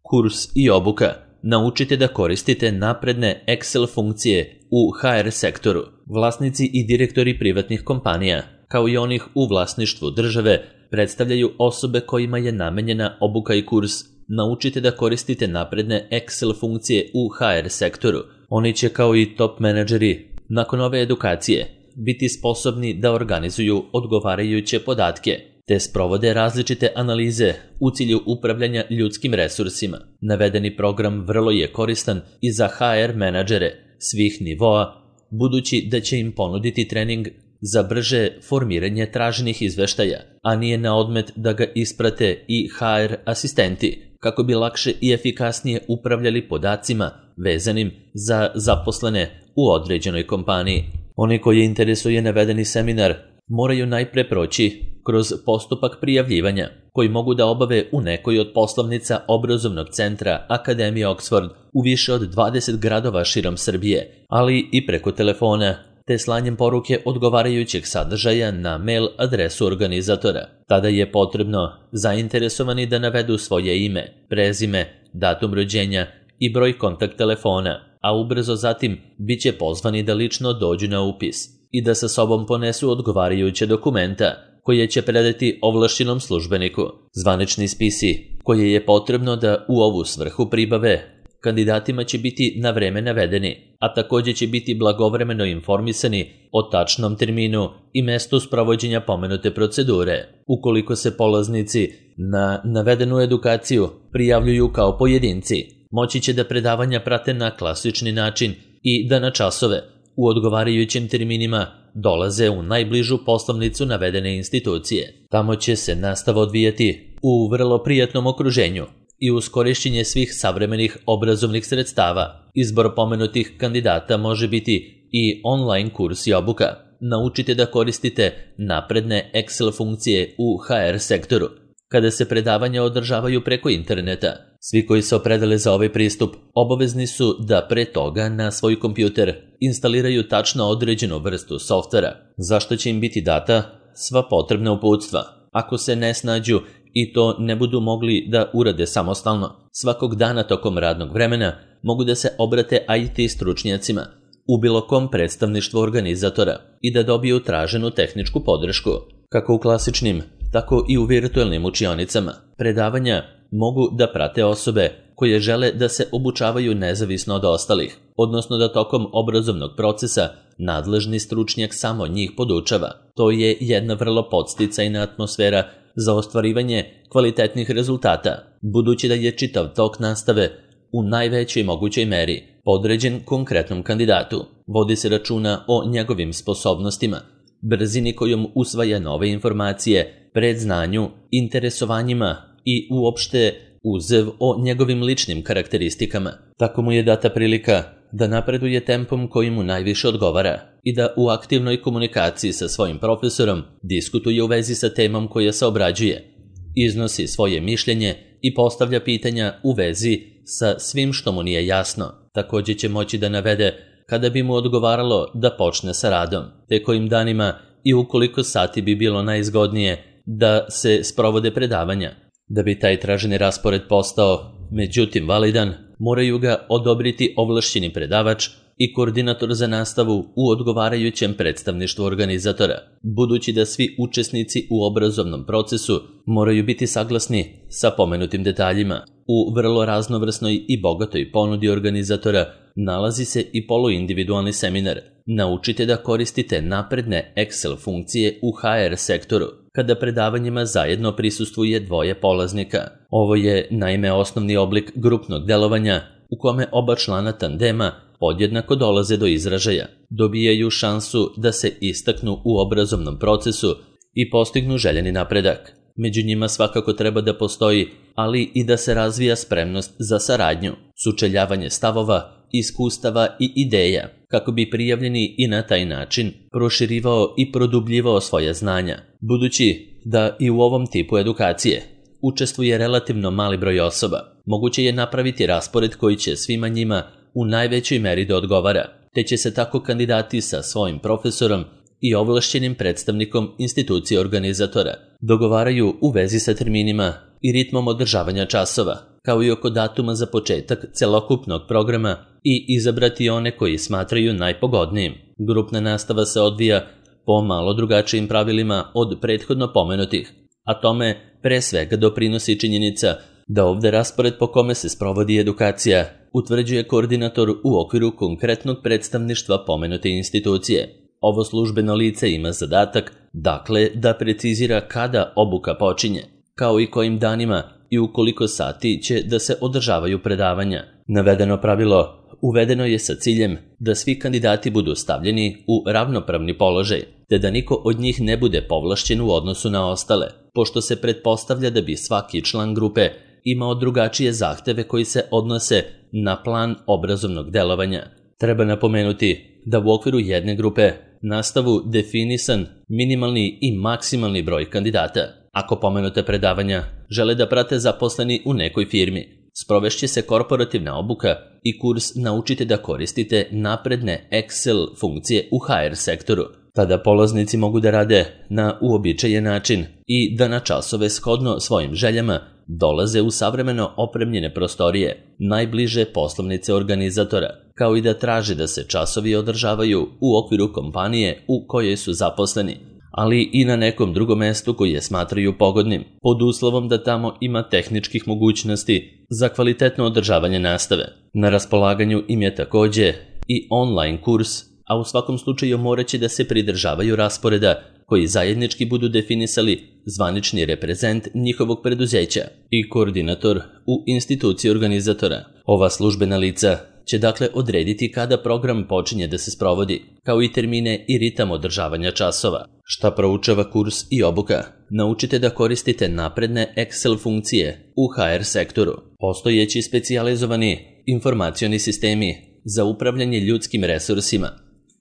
Kurs i obuka. Naučite da koristite napredne Excel funkcije u HR sektoru. Vlasnici i direktori privatnih kompanija, kao i onih u vlasništvu države, predstavljaju osobe kojima je namenjena obuka i kurs. Naučite da koristite napredne Excel funkcije u HR sektoru. Oni će, kao i top menadžeri, nakon ove edukacije biti sposobni da organizuju odgovarajuće podatke, te sprovode različite analize u cilju upravljanja ljudskim resursima. Navedeni program vrlo je koristan i za HR menadžere svih nivoa, budući da će im ponuditi trening za brže formiranje traženih izveštaja, a nije na odmet da ga isprate i HR asistenti, kako bi lakše i efikasnije upravljali podacima vezanim za zaposlene u određenoj kompaniji. Oni koji interesuje navedeni seminar moraju najpre proći kroz postupak prijavljivanja, koji mogu da obave u nekoj od poslovnica obrazovnog centra Akademije Oxford u više od 20 gradova širom Srbije, ali i preko telefona, te slanjem poruke odgovarajućeg sadržaja na mail adresu organizatora. Tada je potrebno zainteresovani da navedu svoje ime, prezime, datum rođenja i broj kontakt telefona, a ubrzo zatim bit će pozvani da lično dođu na upis i da sa sobom ponesu odgovarajuće dokumenta koje će predati ovlašćenom službeniku. Zvanični spisi koje je potrebno da u ovu svrhu pribave kandidatima će biti na vreme navedeni, a također će biti blagovremeno informisani o tačnom terminu i mestu sprovođenja pomenute procedure. Ukoliko se polaznici na navedenu edukaciju prijavljuju kao pojedinci, moći će da predavanja prate na klasični način i da na časove u odgovarajućim terminima dolaze u najbližu poslovnicu navedene institucije. Tamo će se nastava odvijati u vrlo prijatnom okruženju i uz korišćenje svih savremenih obrazovnih sredstava. Izbor pomenutih kandidata može biti i online kurs i obuka. Naučite da koristite napredne Excel funkcije u HR sektoru. Kada se predavanja održavaju preko interneta, svi koji se opredele za ovaj pristup obavezni su da pre toga na svoj kompjuter instaliraju tačno određenu vrstu softvera, zašto će im biti data sva potrebna uputstva. Ako se ne snađu i to ne budu mogli da urade samostalno, svakog dana tokom radnog vremena mogu da se obrate IT stručnjacima u bilo kom predstavništvu organizatora i da dobiju traženu tehničku podršku. Kako u klasičnim, tako i u virtualnim učionicama. Predavanja mogu da prate osobe koje žele da se obučavaju nezavisno od ostalih, odnosno da tokom obrazovnog procesa nadležni stručnjak samo njih podučava. To je jedna vrlo podsticajna atmosfera za ostvarivanje kvalitetnih rezultata, budući da je čitav tok nastave u najvećoj mogućoj meri podređen konkretnom kandidatu. Vodi se računa o njegovim sposobnostima, brzini kojom usvaja nove informacije, predznanju, interesovanjima i uopšte uzev o njegovim ličnim karakteristikama. Tako mu je data prilika da napreduje tempom koji mu najviše odgovara i da u aktivnoj komunikaciji sa svojim profesorom diskutuje u vezi sa temom koja se obrađuje, iznosi svoje mišljenje i postavlja pitanja u vezi sa svim što mu nije jasno. Također će moći da navede kada bi mu odgovaralo da počne sa radom, te kojim danima i ukoliko sati bi bilo najzgodnije da se sprovode predavanja. Da bi taj traženi raspored postao, međutim, validan, moraju ga odobriti ovlašćeni predavač i koordinator za nastavu u odgovarajućem predstavništvu organizatora, budući da svi učesnici u obrazovnom procesu moraju biti saglasni sa pomenutim detaljima. U vrlo raznovrsnoj i bogatoj ponudi organizatora nalazi se i poluindividualni seminar. Naučite da koristite napredne Excel funkcije u HR sektoru, kada predavanjima zajedno prisustvuje dvoje polaznika. Ovo je naime osnovni oblik grupnog delovanja u kome oba člana tandema podjednako dolaze do izražaja, dobijaju šansu da se istaknu u obrazovnom procesu i postignu željeni napredak. Među njima svakako treba da postoji, ali i da se razvija spremnost za saradnju, sučeljavanje stavova, iskustava i ideja, kako bi prijavljeni i na taj način proširivao i produbljivao svoje znanja. Budući da i u ovom tipu edukacije učestvuje relativno mali broj osoba, moguće je napraviti raspored koji će svima njima u najvećoj meri da odgovara, te će se tako kandidati sa svojim profesorom i ovlašćenim predstavnikom institucije organizatora dogovaraju u vezi sa terminima i ritmom održavanja časova. kao i oko datuma za početak celokupnog programa i izabrati one koji smatraju najpogodnijim. Grupna nastava se odvija po malo drugačijim pravilima od prethodno pomenutih, a tome pre svega doprinosi činjenica da ovde raspored po kome se sprovodi edukacija utvrđuje koordinator u okviru konkretnog predstavništva pomenute institucije. Ovo službeno lice ima zadatak, dakle, da precizira kada obuka počinje, kao i kojim danima i u koliko sati će da se održavaju predavanja. Navedeno pravilo uvedeno je sa ciljem da svi kandidati budu stavljeni u ravnopravni položaj, te da niko od njih ne bude povlašćen u odnosu na ostale, pošto se pretpostavlja da bi svaki član grupe imao drugačije zahteve koji se odnose na plan obrazovnog delovanja. Treba napomenuti da u okviru jedne grupe nastavu definisan minimalni i maksimalni broj kandidata. Ako pomenute predavanja žele da prate zaposleni u nekoj firmi, sprovešće se korporativna obuka i kurs Naučite da koristite napredne Excel funkcije u HR sektoru. Tada polaznici mogu da rade na uobičajen način i da na časove shodno svojim željama dolaze u savremeno opremljene prostorije, najbliže poslovnice organizatora, kao i da traže da se časovi održavaju u okviru kompanije u kojoj su zaposleni, ali i na nekom drugom mestu koje smatraju pogodnim, pod uslovom da tamo ima tehničkih mogućnosti za kvalitetno održavanje nastave. Na raspolaganju im je takođe i online kurs, a u svakom slučaju moraće da se pridržavaju rasporeda koji zajednički budu definisali zvanični reprezent njihovog preduzeća i koordinator u instituciji organizatora. Ova službena lica će dakle odrediti kada program počinje da se sprovodi, kao i termine i ritam održavanja časova. Šta proučava kurs i obuka? Naučite da koristite napredne Excel funkcije u HR sektoru. Postojeći specijalizovani informacioni sistemi za upravljanje ljudskim resursima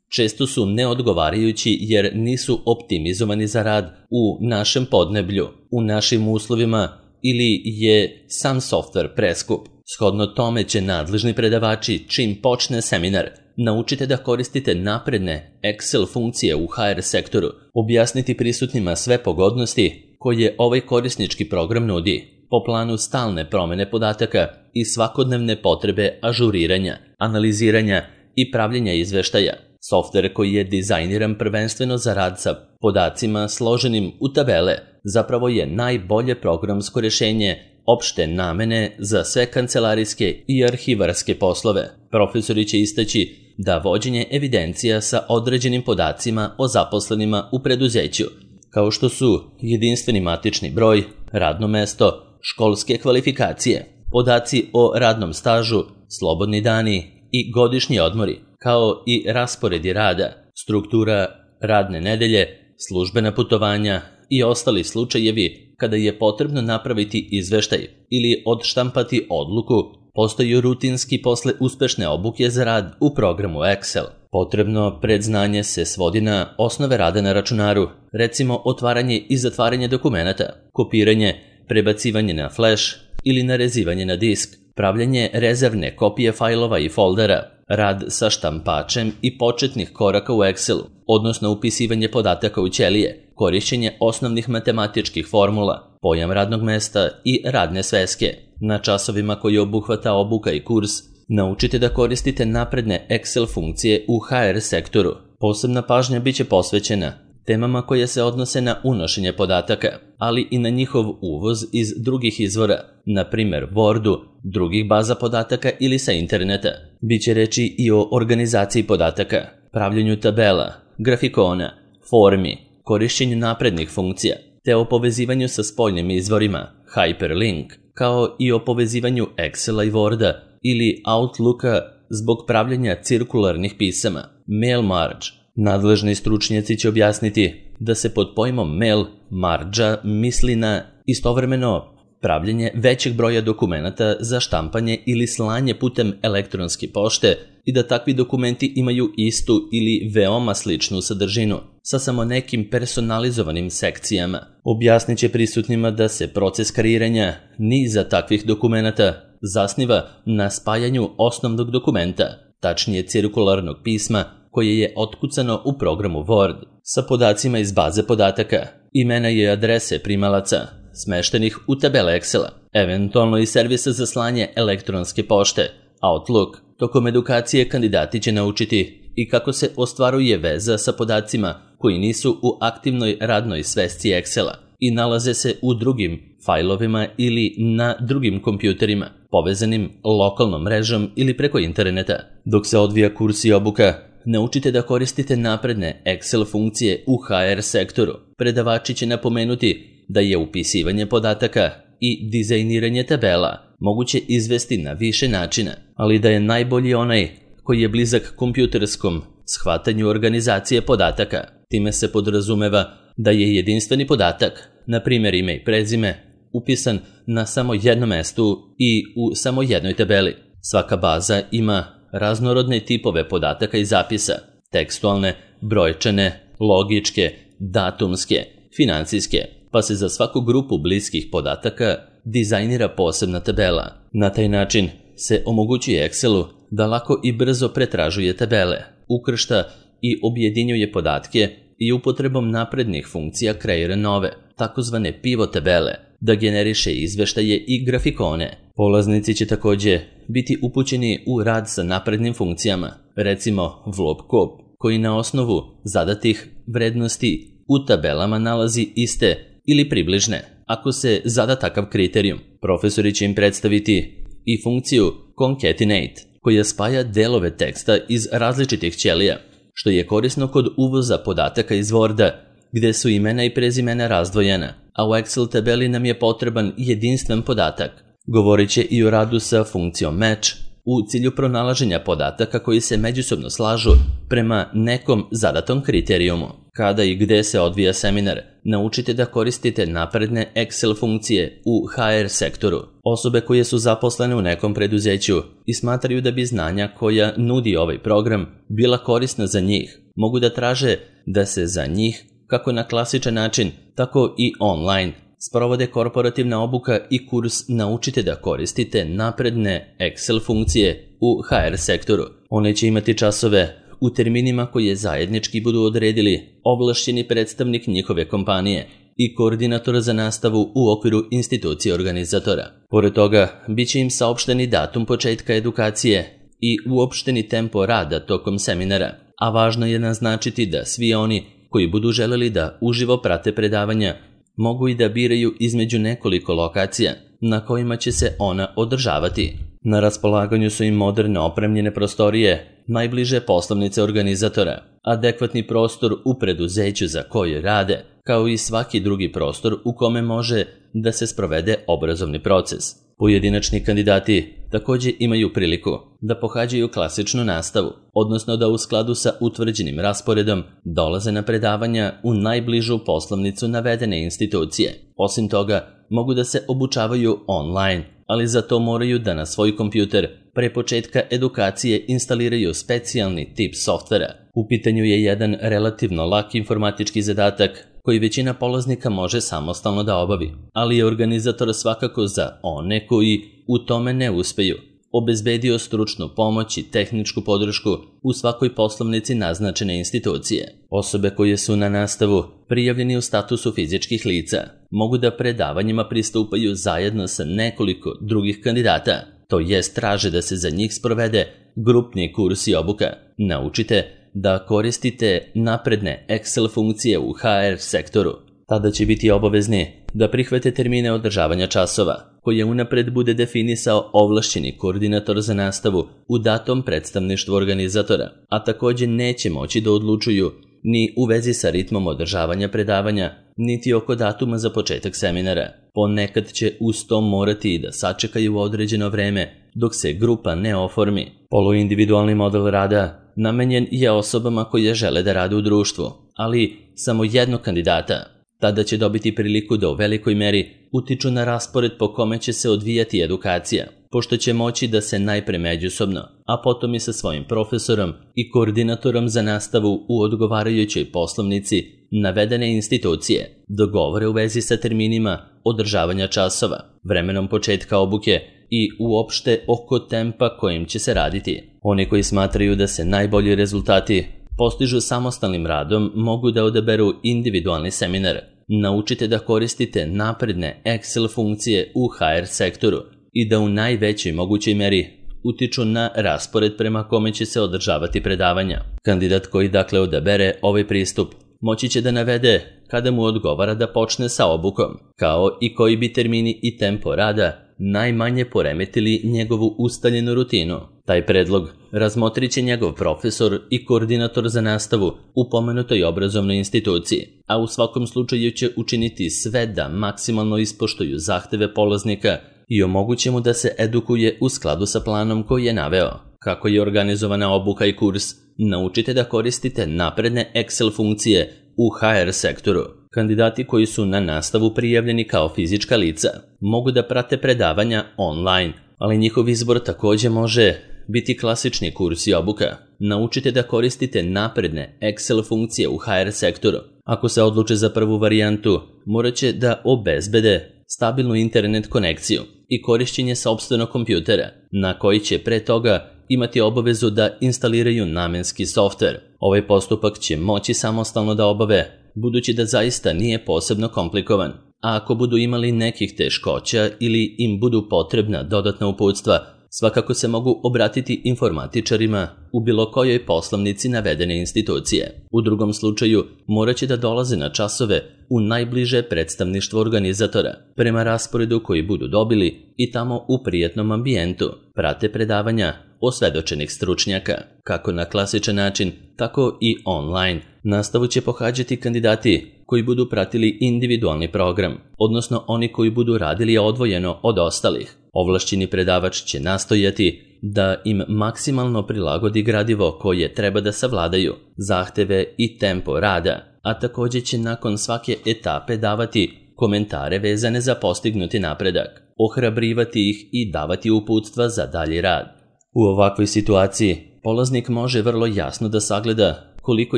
često su neodgovarajući jer nisu optimizovani za rad u našem podneblju, u našim uslovima ili je sam softver preskup. Shodno tome će nadležni predavači, čim počne seminar, Naučite da koristite napredne Excel funkcije u HR sektoru, objasniti prisutnima sve pogodnosti koje ovaj korisnički program nudi, po planu stalne promene podataka i svakodnevne potrebe ažuriranja, analiziranja i pravljenja izveštaja. Softver koji je dizajniran prvenstveno za rad sa podacima složenim u tabele zapravo je najbolje programsko rješenje opšte namene za sve kancelarijske i arhivarske poslove. Profesori će istaći da vođenje evidencija sa određenim podacima o zaposlenima u preduzeću, kao što su jedinstveni matični broj, radno mesto, školske kvalifikacije, podaci o radnom stažu, slobodni dani i godišnji odmori, kao i rasporedi rada, struktura radne nedelje, službena putovanja i ostali slučajevi kada je potrebno napraviti izveštaj ili odštampati odluku, postaju rutinski posle uspešne obuke za rad u programu Excel. Potrebno predznanje se svodi na osnove rada na računaru, recimo otvaranje i zatvaranje dokumenata, kopiranje, prebacivanje na flash ili narezivanje na disk, pravljanje rezervne kopije fajlova i foldera, rad sa štampačem i početnih koraka u Excelu, odnosno upisivanje podataka u ćelije, korišćenje osnovnih matematičkih formula, pojam radnog mesta i radne sveske. Na časovima koji obuhvata obuka i kurs, naučite da koristite napredne Excel funkcije u HR sektoru. Posebna pažnja biće posvećena temama koje se odnose na unošenje podataka, ali i na njihov uvoz iz drugih izvora, na primjer Wordu, drugih baza podataka ili sa interneta. Biće reči i o organizaciji podataka, pravljenju tabela, grafikona, formi, korišćenju naprednih funkcija, te o povezivanju sa spoljnim izvorima, hyperlink, kao i o povezivanju Excela i Worda ili Outlooka zbog pravljenja cirkularnih pisama, mail merge. Nadležni stručnjaci će objasniti da se pod pojmom mail marđa misli na istovremeno pravljenje većeg broja dokumenata za štampanje ili slanje putem elektronske pošte i da takvi dokumenti imaju istu ili veoma sličnu sadržinu sa samo nekim personalizovanim sekcijama. Objasnit će prisutnima da se proces kreiranja niza takvih dokumenata zasniva na spajanju osnovnog dokumenta, tačnije cirkularnog pisma, koje je otkucano u programu Word sa podacima iz baze podataka, imena i adrese primalaca, smeštenih u tabele Excela, eventualno i servisa za slanje elektronske pošte, Outlook. Tokom edukacije kandidati će naučiti i kako se ostvaruje veza sa podacima koji nisu u aktivnoj radnoj svesci Excela i nalaze se u drugim fajlovima ili na drugim kompjuterima, povezanim lokalnom mrežom ili preko interneta. Dok se odvija kurs i obuka, naučite da koristite napredne Excel funkcije u HR sektoru. Predavači će napomenuti da je upisivanje podataka i dizajniranje tabela moguće izvesti na više načina, ali da je najbolji onaj koji je blizak kompjuterskom shvatanju organizacije podataka. Time se podrazumeva da je jedinstveni podatak, na primjer ime i prezime, upisan na samo jednom mestu i u samo jednoj tabeli. Svaka baza ima raznorodne tipove podataka i zapisa, tekstualne, brojčane, logičke, datumske, financijske, pa se za svaku grupu bliskih podataka dizajnira posebna tabela. Na taj način se omogućuje Excelu da lako i brzo pretražuje tabele, ukršta i objedinjuje podatke i upotrebom naprednih funkcija kreira nove, takozvane pivot tabele, da generiše izveštaje i grafikone. Polaznici će također biti upućeni u rad sa naprednim funkcijama, recimo VLOOKUP, koji na osnovu zadatih vrednosti u tabelama nalazi iste ili približne, ako se zada takav kriterijum. Profesori će im predstaviti i funkciju concatenate, koja spaja delove teksta iz različitih ćelija, što je korisno kod uvoza podataka iz Worda, gde su imena i prezimena razdvojena, a u Excel tabeli nam je potreban jedinstven podatak. Govorit će i o radu sa funkcijom match u cilju pronalaženja podataka koji se međusobno slažu prema nekom zadatom kriterijumu. Kada i gde se odvija seminar, naučite da koristite napredne Excel funkcije u HR sektoru. Osobe koje su zaposlene u nekom preduzeću i smatraju da bi znanja koja nudi ovaj program bila korisna za njih, mogu da traže da se za njih, kako na klasičan način, tako i online, sprovode korporativna obuka i kurs Naučite da koristite napredne Excel funkcije u HR sektoru. One će imati časove u terminima koje zajednički budu odredili ovlašćeni predstavnik njihove kompanije i koordinator za nastavu u okviru institucije organizatora. Pored toga, bit će im saopšteni datum početka edukacije i uopšteni tempo rada tokom seminara, a važno je naznačiti da svi oni koji budu želeli da uživo prate predavanja mogu i da biraju između nekoliko lokacija na kojima će se ona održavati. Na raspolaganju su im moderne opremljene prostorije, najbliže poslovnice organizatora, adekvatni prostor u preduzeću za koje rade, kao i svaki drugi prostor u kome može da se sprovede obrazovni proces. Pojedinačni kandidati također imaju priliku da pohađaju klasičnu nastavu, odnosno da u skladu sa utvrđenim rasporedom dolaze na predavanja u najbližu poslovnicu navedene institucije. Osim toga, mogu da se obučavaju online, ali za to moraju da na svoj kompjuter pre početka edukacije instaliraju specijalni tip softvera. U pitanju je jedan relativno lak informatički zadatak koji većina polaznika može samostalno da obavi, ali je organizator svakako za one koji u tome ne uspeju obezbedio stručnu pomoć i tehničku podršku u svakoj poslovnici naznačene institucije. Osobe koje su na nastavu prijavljeni u statusu fizičkih lica mogu da predavanjima pristupaju zajedno sa nekoliko drugih kandidata, to jest traže da se za njih sprovede grupni kurs i obuka. Naučite da koristite napredne Excel funkcije u HR sektoru. Tada će biti obavezni da prihvate termine održavanja časova, koje unapred bude definisao ovlašćeni koordinator za nastavu u datom predstavništvu organizatora, a također neće moći da odlučuju ni u vezi sa ritmom održavanja predavanja, niti oko datuma za početak seminara. Ponekad će uz to morati i da sačekaju određeno vreme dok se grupa ne oformi. Poluindividualni model rada namenjen je osobama koje žele da rade u društvu, ali samo jednog kandidata. Tada će dobiti priliku da u velikoj meri utiču na raspored po kome će se odvijati edukacija, pošto će moći da se najpre međusobno, a potom i sa svojim profesorom i koordinatorom za nastavu u odgovarajućoj poslovnici navedene institucije dogovore u vezi sa terminima održavanja časova, vremenom početka obuke i uopšte oko tempa kojim će se raditi. Oni koji smatraju da se najbolji rezultati postižu samostalnim radom mogu da odaberu individualni seminar, naučite da koristite napredne Excel funkcije u HR sektoru i da u najvećoj mogućoj meri utiču na raspored prema kome će se održavati predavanja. Kandidat koji dakle odabere ovaj pristup moći će da navede kada mu odgovara da počne sa obukom, kao i koji bi termini i tempo rada najmanje poremetili njegovu ustaljenu rutinu. Taj predlog razmotrit će njegov profesor i koordinator za nastavu u pomenutoj obrazovnoj instituciji, a u svakom slučaju će učiniti sve da maksimalno ispoštuju zahteve polaznika i omoguće mu da se edukuje u skladu sa planom koji je naveo. Kako je organizovana obuka i kurs, naučite da koristite napredne Excel funkcije u HR sektoru. Kandidati koji su na nastavu prijavljeni kao fizička lica mogu da prate predavanja online, ali njihov izbor također može biti klasični kurs i obuka. Naučite da koristite napredne Excel funkcije u HR sektoru. Ako se odluče za prvu varijantu, morat će da obezbede stabilnu internet konekciju i korišćenje sopstvenog kompjutera, na koji će pre toga imati obavezu da instaliraju namenski softver. Ovaj postupak će moći samostalno da obave, budući da zaista nije posebno komplikovan. A ako budu imali nekih teškoća ili im budu potrebna dodatna uputstva, svakako se mogu obratiti informatičarima u bilo kojoj poslovnici navedene institucije. U drugom slučaju morat će da dolaze na časove u najbliže predstavništvo organizatora, prema rasporedu koji budu dobili i tamo u prijatnom ambijentu prate predavanja osvedočenih stručnjaka. Kako na klasičan način, tako i online. Nastavu će pohađati kandidati koji budu pratili individualni program, odnosno oni koji budu radili odvojeno od ostalih. Ovlašćeni predavač će nastojati da im maksimalno prilagodi gradivo koje treba da savladaju, zahteve i tempo rada, a također će nakon svake etape davati komentare vezane za postignuti napredak, ohrabrivati ih i davati uputstva za dalji rad. U ovakvoj situaciji polaznik može vrlo jasno da sagleda koliko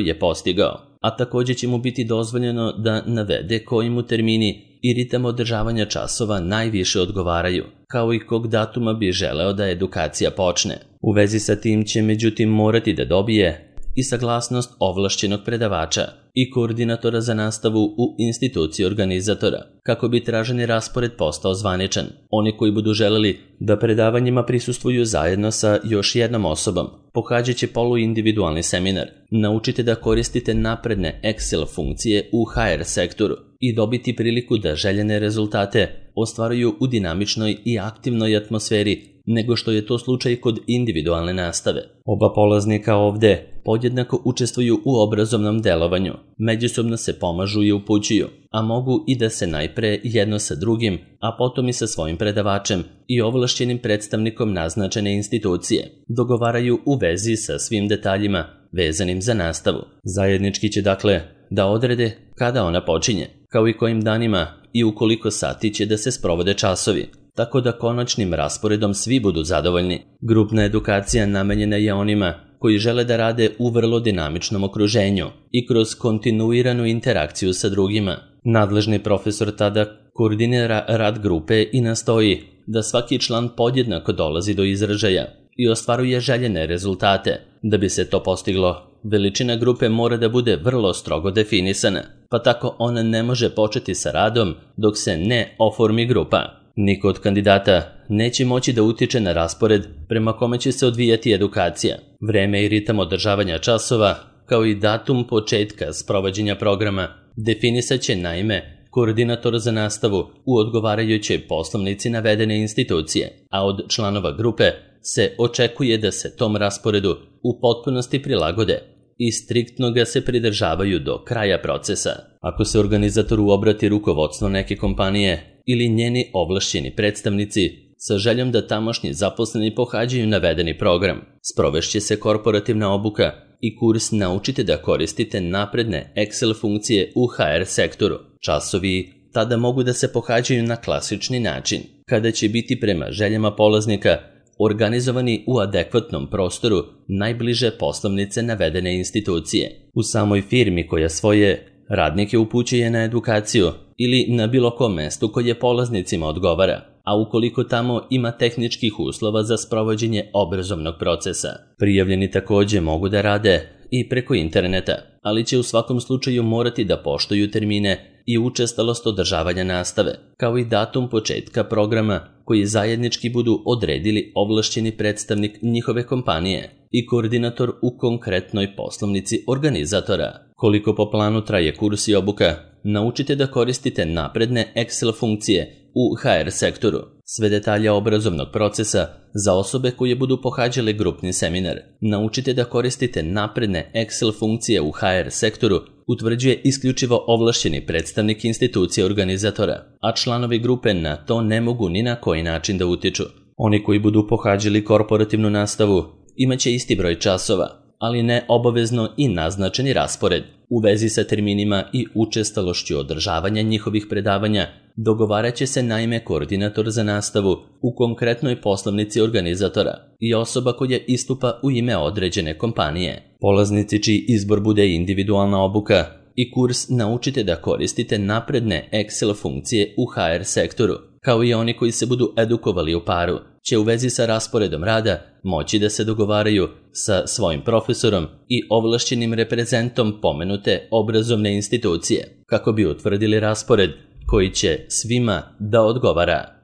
je postigao, a također će mu biti dozvoljeno da navede koji mu termini i ritam održavanja časova najviše odgovaraju, kao i kog datuma bi želeo da edukacija počne. U vezi sa tim će međutim morati da dobije i saglasnost ovlašćenog predavača i koordinatora za nastavu u instituciji organizatora, kako bi traženi raspored postao zvaničan. Oni koji budu želeli da predavanjima prisustvuju zajedno sa još jednom osobom, pohađat će poluindividualni seminar. Naučite da koristite napredne Excel funkcije u HR sektoru i dobiti priliku da željene rezultate ostvaruju u dinamičnoj i aktivnoj atmosferi nego što je to slučaj kod individualne nastave. Oba polaznika ovde podjednako učestvuju u obrazovnom delovanju, međusobno se pomažu i upućuju, a mogu i da se najpre jedno sa drugim, a potom i sa svojim predavačem i ovlašćenim predstavnikom naznačene institucije dogovaraju u vezi sa svim detaljima vezanim za nastavu. Zajednički će dakle da odrede kada ona počinje, kao i kojim danima i u koliko sati će da se sprovode časovi, tako da konačnim rasporedom svi budu zadovoljni. Grupna edukacija namenjena je onima koji žele da rade u vrlo dinamičnom okruženju i kroz kontinuiranu interakciju sa drugima. Nadležni profesor tada koordinira rad grupe i nastoji da svaki član podjednako dolazi do izražaja i ostvaruje željene rezultate. Da bi se to postiglo, veličina grupe mora da bude vrlo strogo definisana, pa tako ona ne može početi sa radom dok se ne oformi grupa. Niko od kandidata neće moći da utiče na raspored prema kome će se odvijati edukacija. Vreme i ritam održavanja časova, kao i datum početka sprovođenja programa, definisat će naime koordinator za nastavu u odgovarajućoj poslovnici navedene institucije, a od članova grupe se očekuje da se tom rasporedu u potpunosti prilagode i striktno ga se pridržavaju do kraja procesa. Ako se organizatoru obrati rukovodstvo neke kompanije ili njeni ovlašćeni predstavnici sa željom da tamošnji zaposleni pohađaju navedeni program, sprovešće se korporativna obuka i kurs Naučite da koristite napredne Excel funkcije u HR sektoru. Časovi tada mogu da se pohađaju na klasični način, kada će biti prema željama polaznika organizovani u adekvatnom prostoru najbliže poslovnice navedene institucije. U samoj firmi koja svoje radnike upućuje na edukaciju ili na bilo kom mestu koje polaznicima odgovara, a ukoliko tamo ima tehničkih uslova za sprovođenje obrazovnog procesa. Prijavljeni također mogu da rade i preko interneta, ali će u svakom slučaju morati da poštuju termine i učestalost održavanja nastave, kao i datum početka programa koji zajednički budu odredili ovlašćeni predstavnik njihove kompanije i koordinator u konkretnoj poslovnici organizatora. Koliko po planu traje kurs i obuka? Naučite da koristite napredne Excel funkcije u HR sektoru. Sve detalje obrazovnog procesa za osobe koje budu pohađale grupni seminar. Naučite da koristite napredne Excel funkcije u HR sektoru utvrđuje isključivo ovlašćeni predstavnik institucije organizatora, a članovi grupe na to ne mogu ni na koji način da utiču. Oni koji budu pohađali korporativnu nastavu imaće isti broj časova, ali ne obavezno i naznačeni raspored. U vezi sa terminima i učestalošću održavanja njihovih predavanja dogovarat će se naime koordinator za nastavu u konkretnoj poslovnici organizatora i osoba koja istupa u ime određene kompanije. Polaznici čiji izbor bude individualna obuka i kurs naučite da koristite napredne Excel funkcije u HR sektoru, kao i oni koji se budu edukovali u paru, će u vezi sa rasporedom rada moći da se dogovaraju sa svojim profesorom i ovlašćenim reprezentom pomenute obrazovne institucije, kako bi utvrdili raspored koji će svima da odgovara.